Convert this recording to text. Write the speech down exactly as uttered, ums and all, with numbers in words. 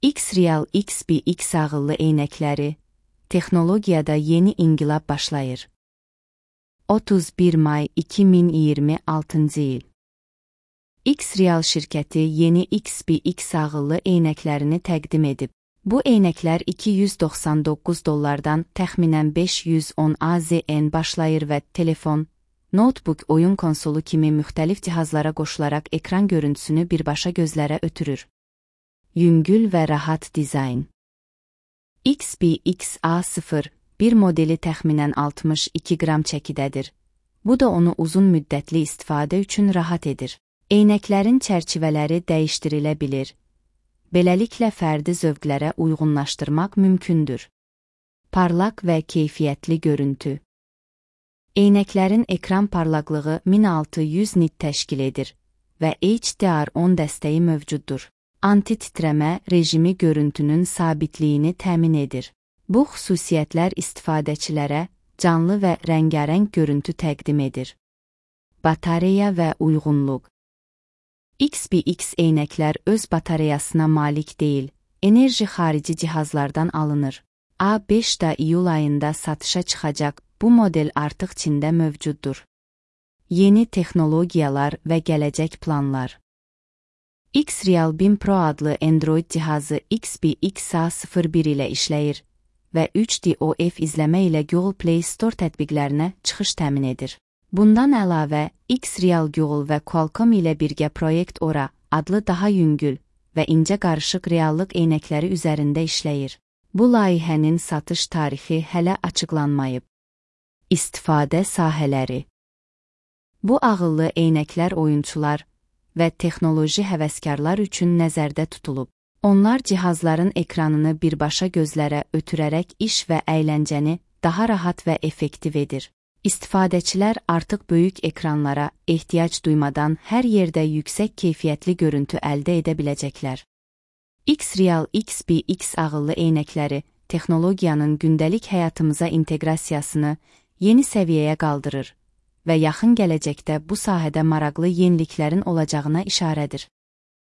X-Real X B X ağıllı eynəkləri, texnologiyada yeni inqilab başlayır. otuz bir may iki min iyirmi altıncı il. X-Real şirkəti yeni X B X ağıllı eynəklərini təqdim edib. Bu eynəklər iki yüz doxsan doqquz dollardan təxminən beş yüz on AZN başlayır və telefon, notebook, oyun konsolu kimi müxtəlif cihazlara qoşularaq ekran görüntüsünü birbaşa gözlərə ötürür. Yüngül və rahat dizayn. X B X A sıfır bir modeli təxminən altmış iki qram çəkidədir. Bu da onu uzun müddətli istifadə üçün rahat edir. Eynəklərin çərçivələri dəyişdirilə bilir. Beləliklə fərdi zövqlərə uyğunlaşdırmaq mümkündür. Parlaq və keyfiyyətli görüntü. Eynəklərin ekran parlaqlığı min altı yüz nit təşkil edir və H D R on dəstəyi mövcuddur. Anti-titrəmə rejimi görüntünün sabitliyini təmin edir. Bu xüsusiyyətlər istifadəçilərə canlı və rəngarəng görüntü təqdim edir. Batareya və uyğunluq. X B X eynəklər öz batareyasına malik deyil, enerji xarici cihazlardan alınır. A beş iyul ayında satışa çıxacaq, bu model artıq Çində mövcuddur. Yeni texnologiyalar və gələcək planlar. X-Real bin Pro adlı Android cihazı X B X A sıfır bir ilə işləyir və üç D O F izləmə ilə Google Play Store tətbiqlərinə çıxış təmin edir. Bundan əlavə, X-Real Google və Qualcomm ilə birgə Project Aura adlı daha yüngül və incə qarışıq reallıq eynəkləri üzərində işləyir. Bu layihənin satış tarixi hələ açıqlanmayıb. İstifadə sahələri. Bu ağıllı eynəklər oyunçular və texnoloji həvəskarlar üçün nəzərdə tutulub. Onlar cihazların ekranını birbaşa gözlərə ötürərək iş və əyləncəni daha rahat və effektiv edir. İstifadəçilər artıq böyük ekranlara ehtiyac duymadan hər yerdə yüksək keyfiyyətli görüntü əldə edə biləcəklər. X-Real X B X ağıllı eynəkləri texnologiyanın gündəlik həyatımıza inteqrasiyasını yeni səviyyəyə qaldırır və yaxın gələcəkdə bu sahədə maraqlı yeniliklərin olacağına işarədir.